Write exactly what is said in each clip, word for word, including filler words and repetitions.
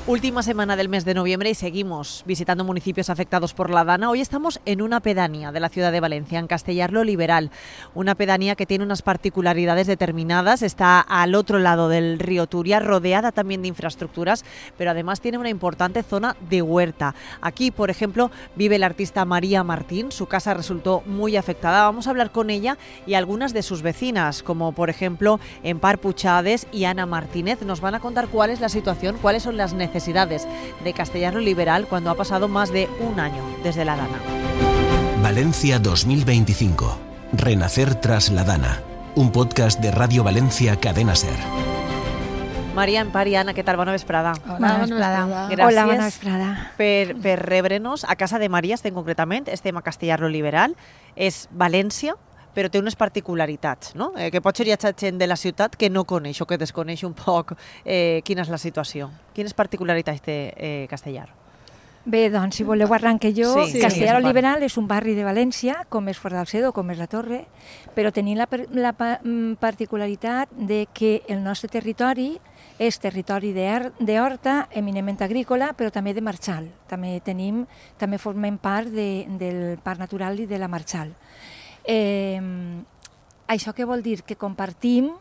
Última semana del mes de noviembre y seguimos visitando municipios afectados por la Dana. Hoy estamos en una pedanía de la ciudad de Valencia, en Castellar-lo Liberal. Una pedanía que tiene unas particularidades determinadas. Está al otro lado del río Turia, rodeada también de infraestructuras, pero además tiene una importante zona de huerta. Aquí, por ejemplo, vive la artista María Martín. Su casa resultó muy afectada. Vamos a hablar con ella y algunas de sus vecinas, como por ejemplo Empar Puchades y Ana Martínez. Nos van a contar cuál es la situación, cuáles son las necesidades necesidades de Castellar-lo Liberal cuando ha pasado más de un año desde la Dana. Valencia dos mil veinticinco. Renacer tras la Dana. Un podcast de Radio Valencia Cadena Ser. Maria, Empar i Anna, què tal? Bona vesprada. Hola, bona vesprada. Gràcies Hola, bona vesprada. per, per rebre'ns a casa de Maria, estem concretament, estem a Castellar-lo Liberal, és València, però té unes particularitats, no? Eh, que potser hi ha gent de la ciutat que no coneix o que desconeix un poc eh, quina és la situació. Quines particularitats té eh, Castellar? Bé, doncs, si voleu arranque jo. Sí, Castellar-lo sí, Liberal és un barri de València, com és Fort-d'Alcedo, com és la Torre, però tenim la, la particularitat de que el nostre territori és territori d'horta, eminentment agrícola, però també de marxal. També tenim, també formem part de, del Parc Natural i de la Marxal. Eh, això què vol dir? Que compartim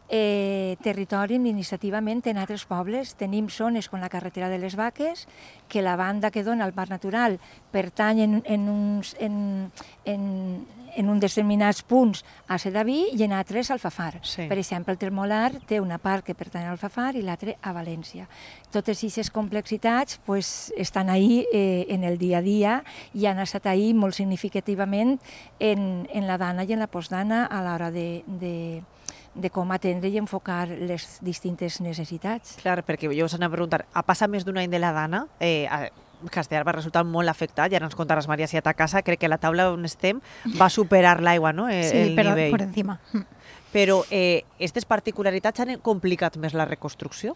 eh, territori administrativament en altres pobles. Tenim zones com la carretera de les Vaques, que la banda que dona al Parc Natural pertany en, en, uns, en, en, en uns determinats punts a Sedaví i en altres al Alfafar. Sí. Per exemple, el Termolar té una part que pertany al Alfafar i l'altra a València. Totes aquestes complexitats pues, estan ahí eh, en el dia a dia i han estat ahí molt significativament en, en la Dana i en la postdana a l'hora de, de, de com atendre i enfocar les distintes necessitats. Clar, perquè jo us anava a preguntar, ha passat més d'un any de la Dana, eh, a Castellar va resultar molt afectat, ja ens contaràs, Maria, si a ta casa, crec que la taula on estem va superar l'aigua, no? Eh, sí, el però nivell. per encima. Però eh, aquestes particularitats han complicat més la reconstrucció?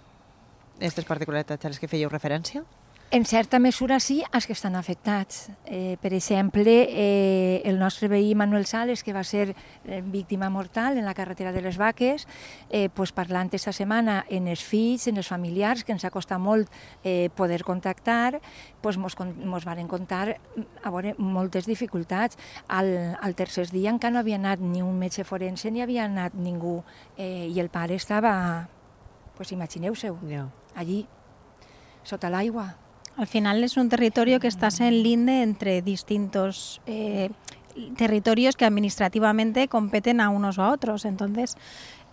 Aquestes particularitats a les que fèieu referència? En certa mesura sí, els que estan afectats. Eh, per exemple, eh, el nostre veí Manuel Sales, que va ser eh, víctima mortal en la carretera de les Vaques, eh, pues parlant aquesta setmana en els fills, en els familiars, que ens ha costat molt eh, poder contactar, pues mos, mos varen contar a veure, moltes dificultats. Al, al tercer dia encara no havia anat ni un metge forense ni havia anat ningú, eh, i el pare estava, pues imagineu-seu, Yeah. allí, sota l'aigua. Al final es un territorio que está en linde entre distintos eh, territorios que administrativamente competen a unos o a otros. Entonces,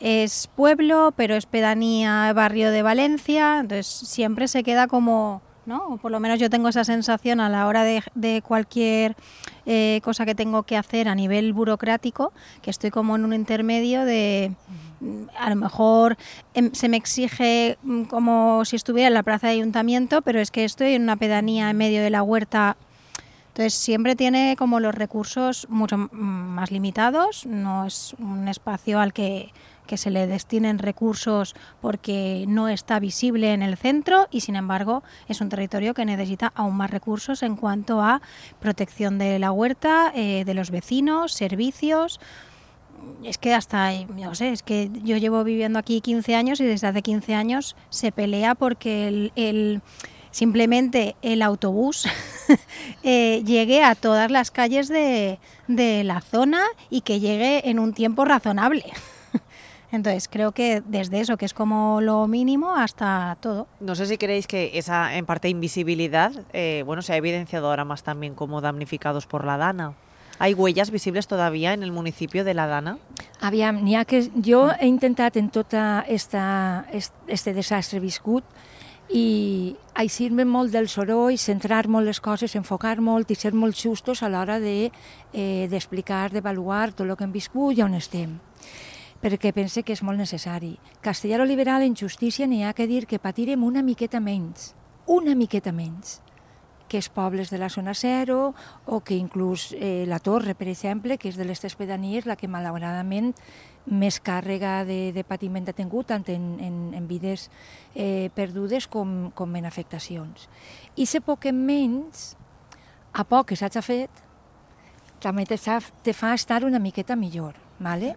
es pueblo, pero es pedanía, barrio de Valencia, entonces siempre se queda como, ¿no? O por lo menos yo tengo esa sensación a la hora de, de cualquier eh, cosa que tengo que hacer a nivel burocrático, que estoy como en un intermedio de... A lo mejor eh, se me exige como si estuviera en la plaza de ayuntamiento, pero es que estoy en una pedanía en medio de la huerta. Entonces siempre tiene como los recursos mucho más limitados, no es un espacio al que, que se le destinen recursos porque no está visible en el centro y sin embargo es un territorio que necesita aún más recursos en cuanto a protección de la huerta, eh, de los vecinos, servicios. Es que hasta, no sé, es que yo llevo viviendo aquí quince años y desde hace quince años se pelea porque el, el simplemente el autobús eh, llegue a todas las calles de, de la zona y que llegue en un tiempo razonable. Entonces creo que desde eso, que es como lo mínimo, hasta todo. No sé si creéis que esa, en parte, invisibilidad eh, bueno, se ha evidenciado ahora más también como damnificados por la Dana. ¿Hay huellas visibles todavía en el municipio de la Dana? Aviam, n'hi ha que... Jo he intentat en tot este desastre viscut i eixir-me molt del soroll, centrar molt les coses, enfocar molt i ser molt justos a l'hora d'explicar, de, eh, d'avaluar tot el que hem viscut i on estem, perquè pense que és molt necessari. Castellar-lo Liberal, en justícia, n'hi ha que dir que patirem una miqueta menys, una miqueta menys, que els pobles de la zona zero o que inclús eh, la Torre, per exemple, que és de les tres pedanies la que malauradament més càrrega de, de patiment ha tingut, tant en, en, en vides eh, perdudes com, com en afectacions. I se poc en menys, a poc que s'ha fet, també te, te fa estar una miqueta millor, ¿vale?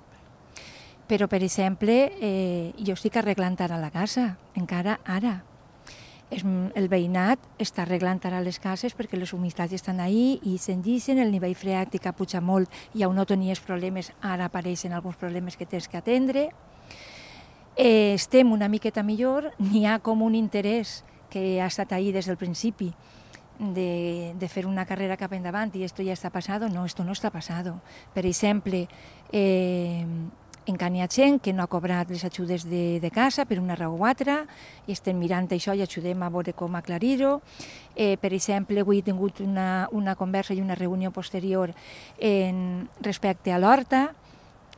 Però, per exemple, eh, jo estic arreglant ara la casa, encara ara. És, el veïnat està arreglant ara les cases perquè les humitats estan ahí i s'enllixen, el nivell freàtic puja molt i on no tenies problemes, ara apareixen alguns problemes que tens que atendre. Eh, estem una miqueta millor, n'hi ha com un interès que ha estat ahí des del principi de, de fer una carrera cap endavant i esto ja està passado. No, esto no està passado. Per exemple, eh, encara hi ha gent que no ha cobrat les ajudes de, de casa per una raó o altra, i estem mirant això i ajudem a veure com aclarir-ho. Eh, per exemple, avui he tingut una, una conversa i una reunió posterior en, respecte a l'horta,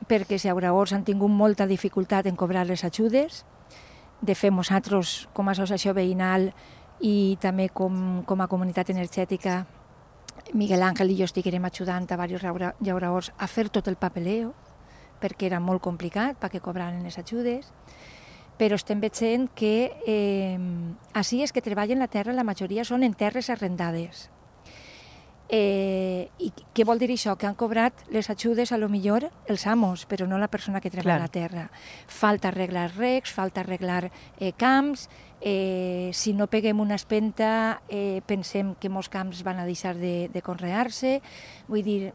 perquè els llauradors han tingut molta dificultat en cobrar les ajudes. De fet, nosaltres, com a associació veïnal i també com, com a comunitat energètica, Miguel Ángel i jo estiguem ajudant a diversos llauradors a fer tot el papeleo, perquè era molt complicat perquè cobraren les ajudes, però estem veient que eh, així és que treballen la terra, la majoria són en terres arrendades. Eh, I què vol dir això? Que han cobrat les ajudes a lo millor els amos, però no la persona que treballa la terra. Falta arreglar recs, falta arreglar eh, camps, eh, si no peguem una espenta eh, pensem que molts camps van a deixar de, de conrear-se, vull dir,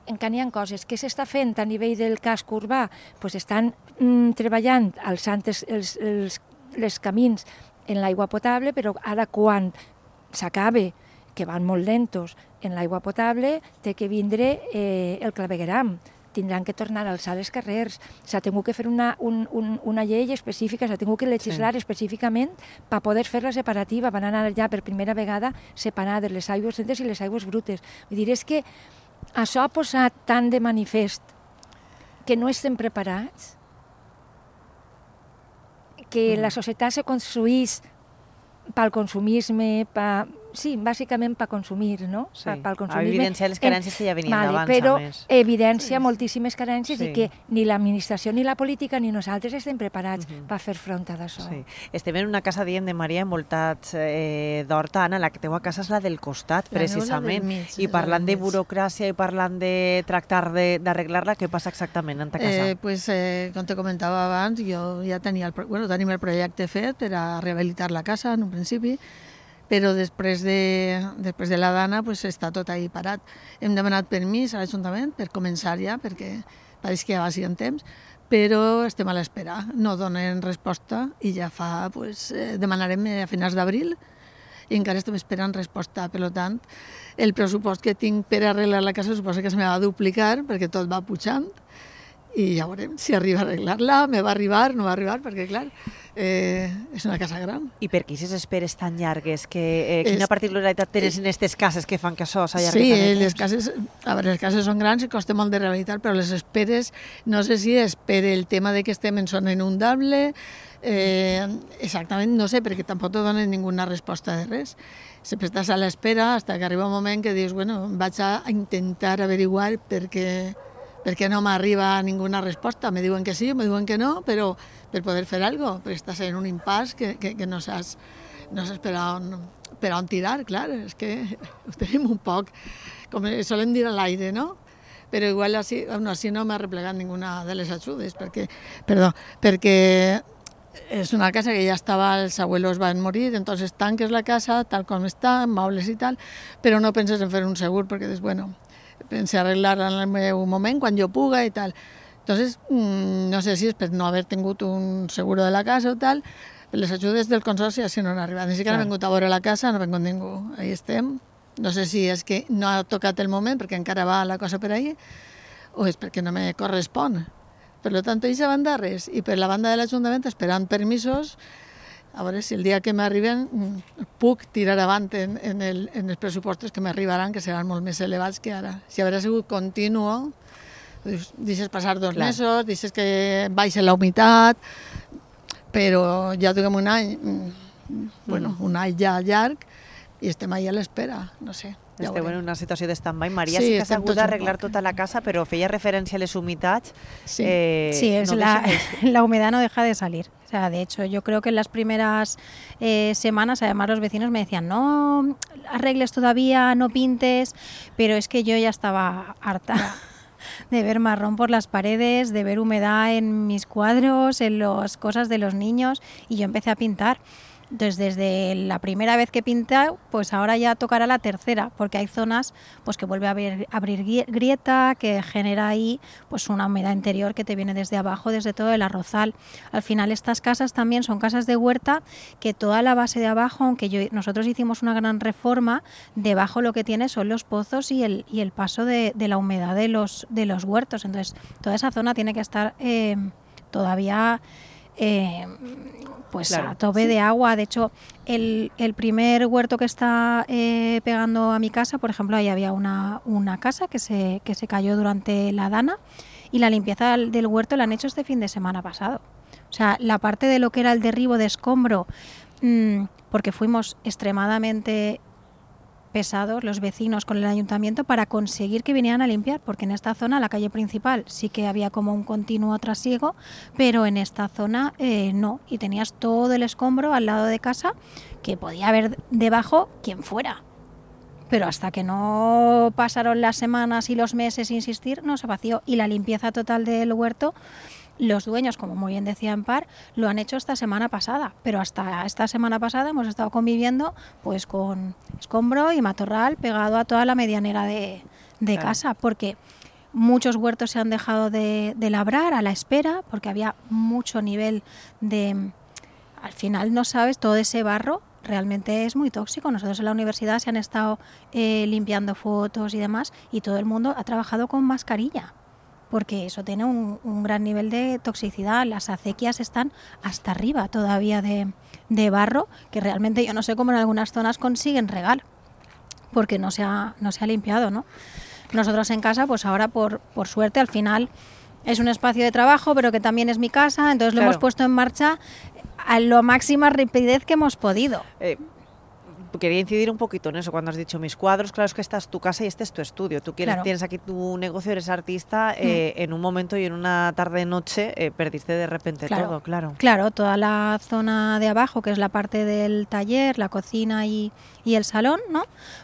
encara hi ha coses que s'està fent a nivell del casc urbà, pues estan mm, treballant alçant els, els, els, els camins en l'aigua potable, però ara quan s'acabe, que van molt lentos en l'aigua potable, té que vindre eh, el clavegueram. Tindran que tornar a alçar els carrers. S'ha tingut que fer una, un, un, una llei específica, s'ha tingut que legislar sí. específicament per poder fer la separativa. Van anar ja per primera vegada separades les aigües lentes i les aigües brutes. Vull dir, és que això ha posat tant de manifest que no estem preparats, que mm. la societat se construís pel consumisme, pa, sí, bàsicament per consumir, no? Sí, per evidenciar les carències que ja venien vale, d'abans, però a més. evidencia sí. moltíssimes carències sí. i que ni l'administració, ni la política, ni nosaltres estem preparats uh-huh. per fer front a això. Sí. Estem en una casa, dient de Maria, envoltats eh, d'horta. Anna, la teua casa és la del costat, la precisament. Mig, I parlant de burocràcia i parlant de tractar d'arreglar-la, què passa exactament en ta casa? Eh, pues, eh, com te comentava abans, jo ja tenia el, bueno, tenim el projecte fet per a rehabilitar la casa en un principi, però després de, després de la dana pues, està tot ahí parat. Hem demanat permís a l'Ajuntament per començar ja, perquè pareix que ja va ser en temps, però estem a l'espera. No donen resposta i ja fa, pues, eh, demanarem a finals d'abril i encara estem esperant resposta. Per tant, el pressupost que tinc per arreglar la casa suposa que se me va duplicar perquè tot va pujant i ja veurem si arriba a arreglar-la, me va arribar, no va arribar, perquè clar, eh, és una casa gran. I per què aquestes esperes tan llargues? Que, eh, quina és, particularitat tens en aquestes cases que fan que això s'allargui sí, tant de temps? les cases, a veure, les cases són grans i costa molt de rehabilitar, però les esperes, no sé si és per el tema de que estem en zona inundable, eh, exactament no sé, perquè tampoc te donen ninguna resposta de res. Sempre estàs a l'espera fins que arriba un moment que dius, bueno, vaig a intentar averiguar perquè perquè no m'arriba ninguna resposta. Me diuen que sí, me diuen que no, però per poder fer alguna cosa, perquè estàs en un impàs que, que, que no saps, no saps per, on, per on tirar, clar, és que ho tenim un poc, com solen dir a l'aire, no? Però igual així, no, així no m'ha replegat ninguna de les ajudes, perquè, perdó, perquè és una casa que ja estava, els abuelos van morir, entonces tanques la casa tal com està, amb mobles i tal, però no penses en fer un segur, perquè dius, bueno, pensé arreglar-la en el meu moment, quan jo puga i tal. Entonces, mmm, no sé si és per no haver tingut un seguro de la casa o tal, les ajudes del consorci així no han arribat. Ni siquiera han vingut a veure la casa, no ha vingut ningú. Ahí estem. No sé si és que no ha tocat el moment, perquè encara va la cosa per ahí, o és perquè no me correspon. Per tant, aquesta banda res. I per la banda de l'Ajuntament, esperant permisos, a veure si el dia que m'arriben puc tirar avant en, en, el, en els pressupostos que m'arribaran, que seran molt més elevats que ara. Si haurà sigut continuo, deixes passar dos Clar. mesos, deixes que baixa la humitat, però ja duguem un any, bueno, un any ja llarg, i estem ahí a l'espera, no sé. Ja Esteu en una situació de stand-by. Maria sí, sí que s'ha hagut d'arreglar tota la casa, però feia referència a les humitats. Sí, eh, sí es no la, la humedad no deja de salir. O sea, de hecho, yo creo que en las primeras eh, semanas, además, los vecinos me decían, no arregles todavía, no pintes, pero es que yo ya estaba harta de ver marrón por las paredes, de ver humedad en mis cuadros, en las cosas de los niños, y yo empecé a pintar. Entonces, desde la primera vez que he pintado, pues ahora ya tocará la tercera, porque hay zonas pues que vuelve a abrir, abrir grieta, que genera ahí pues una humedad interior que te viene desde abajo, desde todo el arrozal. Al final estas casas también son casas de huerta, que toda la base de abajo, aunque yo, nosotros hicimos una gran reforma, debajo lo que tiene son los pozos y el, y el paso de, de la humedad de los, de los huertos. Entonces, toda esa zona tiene que estar eh, todavía... Eh, pues claro, a tope sí. de agua. De hecho, el, el primer huerto que está eh, pegando a mi casa, por ejemplo, ahí había una, una casa que se, que se cayó durante la dana, y la limpieza del huerto la han hecho este fin de semana pasado. O sea, la parte de lo que era el derribo de escombro, mmm, porque fuimos extremadamente pesados los vecinos con el ayuntamiento para conseguir que vinieran a limpiar, porque en esta zona, la calle principal, sí que había como un continuo trasiego, pero en esta zona eh, no, y tenías todo el escombro al lado de casa, que podía haber debajo quien fuera. Pero hasta que no pasaron las semanas y los meses, insistir, no se vació. Y la limpieza total del huerto, los dueños, como muy bien decía Empar, lo han hecho esta semana pasada, pero hasta esta semana pasada hemos estado conviviendo pues con escombro y matorral pegado a toda la medianera de, de claro. casa, porque muchos huertos se han dejado de, de labrar a la espera, porque había mucho nivel de... Al final no sabes, todo ese barro realmente es muy tóxico. Nosotros en la universidad se han estado eh, limpiando fotos y demás, y todo el mundo ha trabajado con mascarilla, porque eso tiene un, un gran nivel de toxicidad. Las acequias están hasta arriba todavía de, de barro, que realmente yo no sé cómo en algunas zonas consiguen regar, porque no se ha, no se ha limpiado, ¿no? Nosotros en casa, pues ahora por, por suerte, al final es un espacio de trabajo, pero que también es mi casa, entonces claro. lo hemos puesto en marcha a la máxima rapidez que hemos podido. Eh. Quería incidir un poquito en eso, cuando has dicho mis cuadros. Claro, es que esta es tu casa y este es tu estudio. Tú quieres, claro. tienes aquí tu negocio, eres artista, eh, mm. en un momento y en una tarde-noche eh, perdiste de repente claro. todo, claro. Claro, toda la zona de abajo, que es la parte del taller, la cocina y, y el salón, ¿no?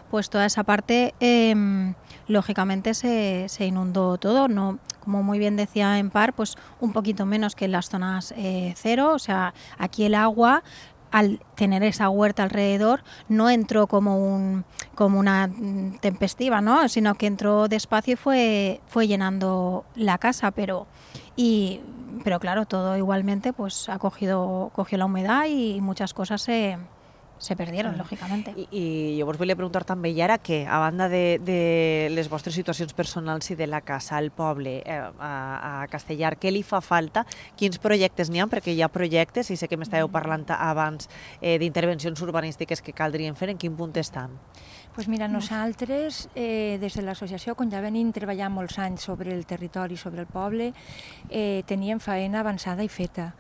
Pues toda esa parte, eh, lógicamente, se, se inundó todo, ¿no? Como muy bien decía Empar, pues un poquito menos que en las zonas eh, cero. O sea, aquí el agua, al tener esa huerta alrededor, no entró como un como una tempestiva, ¿no? Sino que entró despacio y fue fue llenando la casa, pero y pero claro, todo igualmente pues ha cogido cogió la humedad y muchas cosas se se perdieron, mm. lògicament. I, I jo vos volia preguntar també, i ara què? A banda de, de les vostres situacions personals i de la casa, al poble, eh, a, a Castellar, què li fa falta? Quins projectes n'hi ha? Perquè hi ha projectes, i sé que m'estàveu parlant abans eh, d'intervencions urbanístiques que caldrien fer, en quin punt estan? Pues mira, nosaltres, eh, des de l'associació, quan ja venim treballant molts anys sobre el territori, sobre el poble, eh, teníem faena avançada i feta.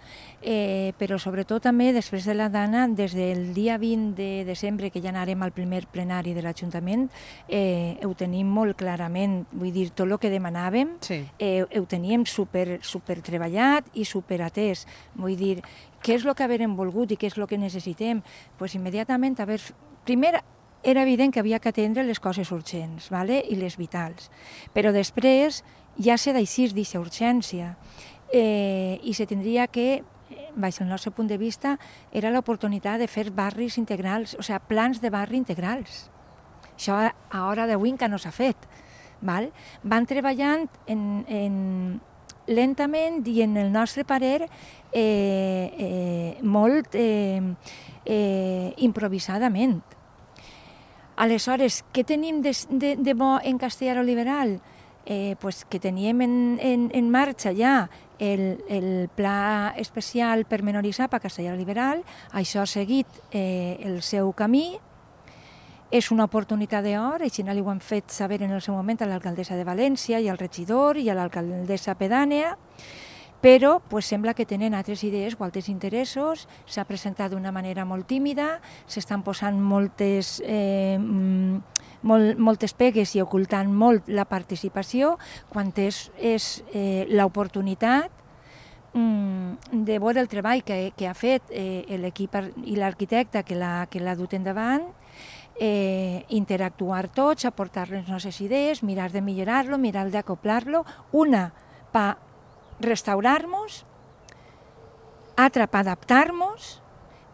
Eh, però sobretot també, després de la dana, des del dia vint de desembre, que ja anarem al primer plenari de l'Ajuntament, eh, ho tenim molt clarament. Vull dir, tot el que demanàvem, sí. eh, ho teníem super, super treballat i super atès. Vull dir, què és el que haverem volgut i què és el que necessitem? Pues immediatament haver... Primer, era evident que havia que atendre les coses urgents, ¿vale? I les vitals. Però després ja se deixís d'aquesta urgència eh, i se tindria que, baix el nostre punt de vista, era l'oportunitat de fer barris integrals, o sigui, plans de barri integrals. Això a hora d'avui encara no s'ha fet. Val? Van treballant en, en, lentament i, en el nostre parer, eh, eh, molt eh, eh, improvisadament. Aleshores, què tenim de, de, de bo en Castellar Liberal? Eh, pues que teníem en, en, en marxa ja el, el pla especial pormenoritzat per Castellar Liberal. Això ha seguit eh, el seu camí. És una oportunitat d'or, així no li ho han fet saber en el seu moment a l'alcaldessa de València i al regidor i a l'alcaldessa pedània, però pues, sembla que tenen altres idees o altres interessos. S'ha presentat d'una manera molt tímida, s'estan posant moltes, eh, molt, moltes pegues i ocultant molt la participació, quan és, és eh, l'oportunitat mm, de veure el treball que, que ha fet eh, l'equip i l'arquitecte que l'ha que l'ha dut endavant, eh, interactuar tots, aportar les nostres idees, mirar de millorar-lo, mirar d'acoplar-lo, una per restaurar-nos, altra per adaptar-nos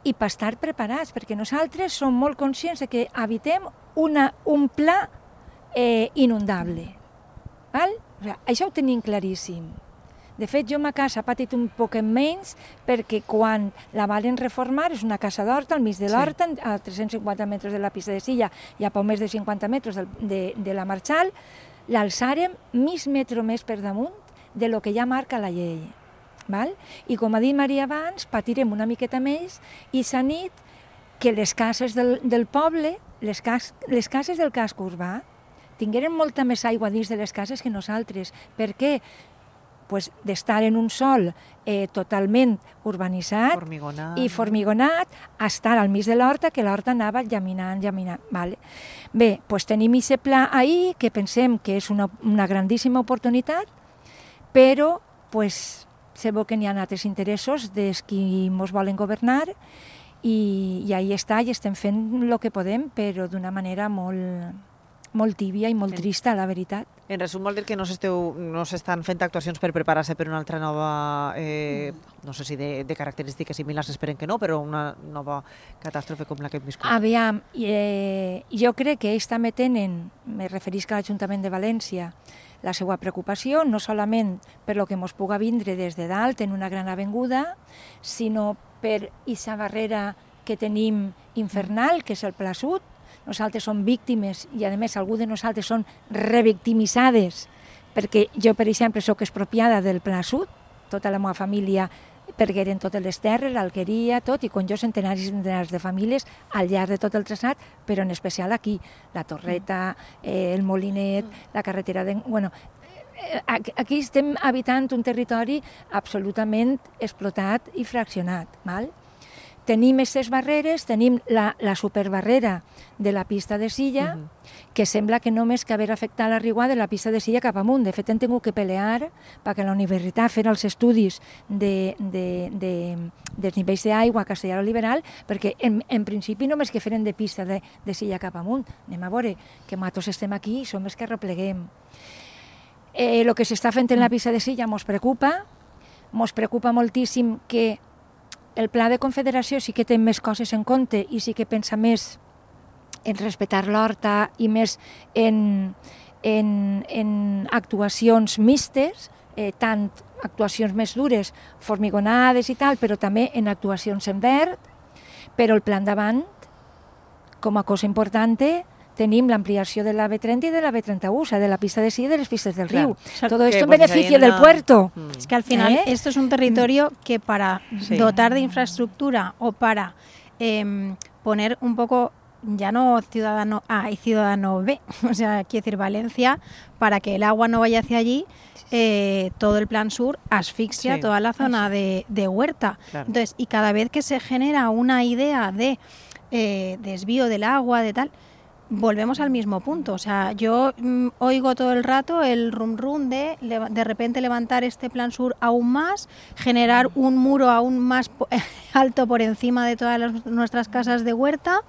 i per estar preparats, perquè nosaltres som molt conscients de que habitem una, un pla eh, inundable. Val? O sigui, això ho tenim claríssim. De fet, jo ma casa ha patit un poquet menys perquè quan la varen reformar, és una casa d'horta, al mig de l'horta, sí. a tres-cents cinquanta metres de la pista de Silla i a poc més de cinquanta metres de, de, de la Marxal, l'alçàrem mig metre més per damunt de lo que ja marca la llei. Val? I com ha dit Maria abans, patirem una miqueta més i s'ha dit que les cases del, del poble, les, cas, les cases del casc urbà, tingueren molta més aigua dins de les cases que nosaltres. Per què? Pues d'estar en un sòl eh, totalment urbanitzat formigonat. i formigonat, a estar al mig de l'horta, que l'horta anava llaminant, llaminant. Vale. Bé, pues tenim aquest pla ahir, que pensem que és una, una grandíssima oportunitat, però pues, se veu que n'hi ha altres interessos dels qui ens volen governar i, i ahí està, i estem fent el que podem, però d'una manera molt, molt tíbia i molt trista, la veritat. En resum, vol dir que no s'esteu, no s'estan fent actuacions per preparar-se per una altra nova, eh, no sé si de, de característiques similars, esperen que no, però una nova catàstrofe com la que hem viscut. Aviam, eh, jo crec que ells també tenen, me referisc a l'Ajuntament de València, la seva preocupació, no solament per lo que ens puga vindre des de dalt en una gran avinguda, sinó per aquesta barrera que tenim infernal, que és el Pla Sud. Nosaltres som víctimes i, a més, algú de nosaltres són revictimitzades, perquè jo, per exemple, sóc expropiada del Pla Sud, tota la meva família pergueren totes les terres, l'alqueria, tot, i con jo centenaris i centenars de famílies al llarg de tot el traçat, però en especial aquí, la Torreta, eh, el Molinet, la carretera de... Bueno, aquí estem habitant un territori absolutament explotat i fraccionat, val? Tenim aquestes barreres, tenim la, la superbarrera de la pista de Silla, uh -huh. que sembla que només que haver afectat la riuada de la pista de Silla cap amunt. De fet, hem tingut que pelear perquè la universitat fes els estudis de, de, de, dels nivells d'aigua a Castellar Liberal, perquè en, en principi només que feren de pista de, de Silla cap amunt. Anem a veure que matos estem aquí i som els que arrepleguem. El eh, que s'està fent en la pista de Silla ens preocupa, ens preocupa moltíssim que el pla de confederació sí que té més coses en compte i sí que pensa més en respectar l'horta i més en, en, en actuacions mixtes, eh, tant actuacions més dures, formigonades i tal, però també en actuacions en verd, però el pla endavant, com a cosa important, tenim l'ampliació de la B trenta i de la B trenta-u, o sea, de la pista de Silla y de las pistas del río. Claro. Todo esto en pues beneficio del una... puerto. Mm. Es que al final ¿Eh? esto es un territorio que para sí. dotar de infraestructura o para eh, poner un poco, ya no ciudadano A y ciudadano B, o sea, quiero decir Valencia, para que el agua no vaya hacia allí, eh, todo el plan sur asfixia sí. toda la zona de, de huerta. Claro. Entonces, y cada vez que se genera una idea de eh, desvío del agua, de tal... volvemos al mismo punto. O sea, yo mm, oigo todo el rato el rum rum de de repente levantar este plan sur aún más, generar un muro aún más alto por encima de todas las, nuestras casas de huerta,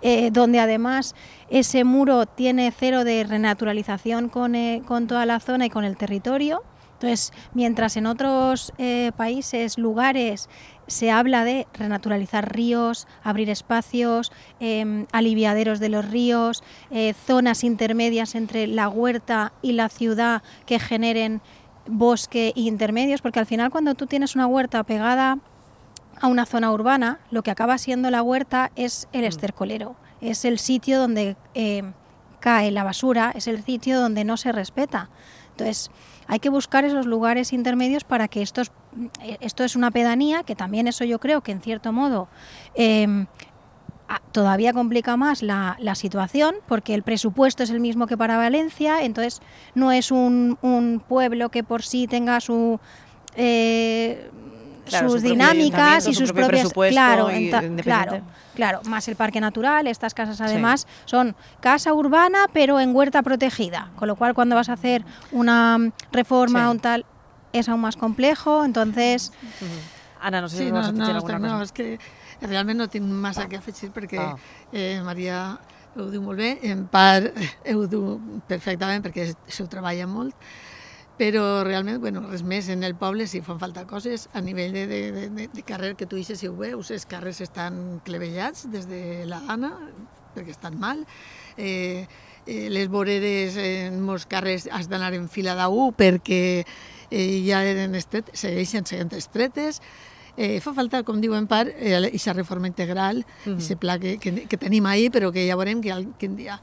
eh, donde además ese muro tiene cero de renaturalización con, eh, con toda la zona y con el territorio. Entonces, mientras en otros eh, países, lugares, se habla de renaturalizar ríos, abrir espacios, eh, aliviaderos de los ríos, eh, zonas intermedias entre la huerta y la ciudad que generen bosque e intermedios, porque al final cuando tú tienes una huerta pegada a una zona urbana, lo que acaba siendo la huerta es el estercolero, es el sitio donde eh, cae la basura, es el sitio donde no se respeta. Entonces, hay que buscar esos lugares intermedios para que estos, esto es una pedanía, que también eso yo creo que en cierto modo eh, todavía complica más la, la situación, porque el presupuesto es el mismo que para Valencia, entonces no es un, un pueblo que por sí tenga su... Eh, Claro, sus su dinámicas y sus propias claro, y claro, claro, más el parque natural, estas casas además sí. son casa urbana pero en huerta protegida, con lo cual cuando vas a hacer una reforma o sí. tal es aún más complejo, entonces uh-huh. Ana, no sé si sí, vas no, a afegir no, alguna no, cosa. No, és que realment no tinc massa que afegir perquè ah. eh, Maria ho diu molt bé, en part ho diu perfectament perquè s'ho treballa molt. Però realment, bueno, res més, en el poble sí fan falta coses a nivell de, de, de, de carrer, que tu ixes si ho veus, els carrers estan clevellats des de la Dana, perquè estan mal, eh, eh, les voreres en molts carrers has d'anar en fila d'A U perquè eh, ja eren estret, segueixen sent estretes. Eh, fa falta, com diu en part, aquesta eh, reforma integral, aquest mm. pla que, que, que tenim ahir, però que ja veurem que quin dia.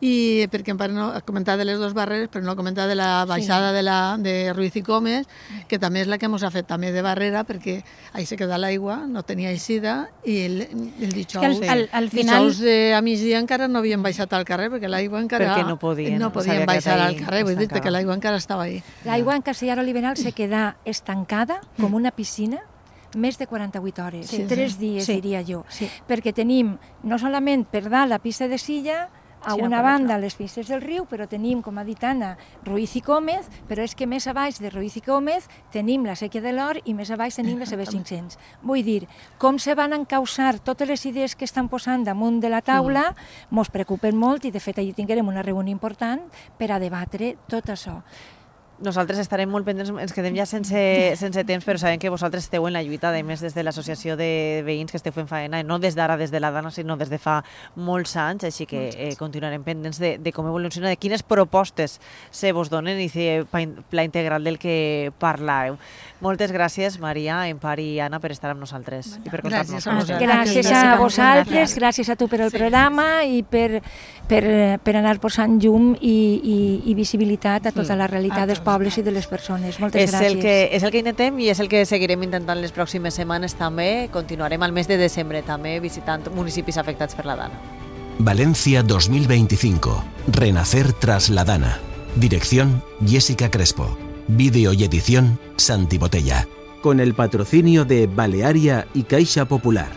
I perquè en part no, ha comentat de les dues barreres, però no ha comentat de la baixada sí. de, la, de Ruiz i Comes, que també és la que ens ha fet també de barrera, perquè ahí se queda l'aigua, no tenia eixida, i el, el dijous, al, al, al final... dijous de, a migdia encara no havien baixat al carrer, perquè l'aigua encara... Perquè no podien. No podien baixar al carrer, vull dir que l'aigua encara estava ahí. L'aigua en Castellar Oliveral se queda estancada com una piscina més de quaranta-vuit hores, sí, tres sí. dies, sí. diria jo, sí. perquè tenim no solament per dalt la pista de Silla, a sí, una no banda les pistes del riu, però tenim, com ha dit Anna, Ruiz i Cómez, però és que més a baix de Ruiz i Cómez tenim la Sèquia de l'Or i més a baix tenim la C B cinc-cents. Vull dir, com se van encausar totes les idees que estan posant damunt de la taula, mm. mos preocupen molt i de fet allí tinguem una reunió important per a debatre tot això. Nosaltres estarem molt pendents, ens quedem ja sense, sense temps, però sabem que vosaltres esteu en la lluita, a més des de l'associació de veïns que esteu fent faena, no des d'ara, des de la Dana, sinó des de fa molts anys, així que eh, continuarem pendents de, de com evoluciona, de quines propostes se vos donen i si pla integral del que parlàveu. Moltes gràcies, Maria, Empar i Anna, per estar amb nosaltres i per contar-nos. Gràcies, gràcies a vosaltres, gràcies a tu per el sí. programa i per, per, per anar posant llum i, i, i visibilitat a tota la realitat dels pobles i de les persones. Moltes és gràcies. El que, és el que intentem i és el que seguirem intentant les pròximes setmanes també. Continuarem al mes de desembre també visitant municipis afectats per la Dana. Valencia dos mil veinticinco. Renacer tras la Dana. Dirección Jessica Crespo. Vídeo y edición Santi Botella. Con el patrocinio de Balearia y Caixa Popular.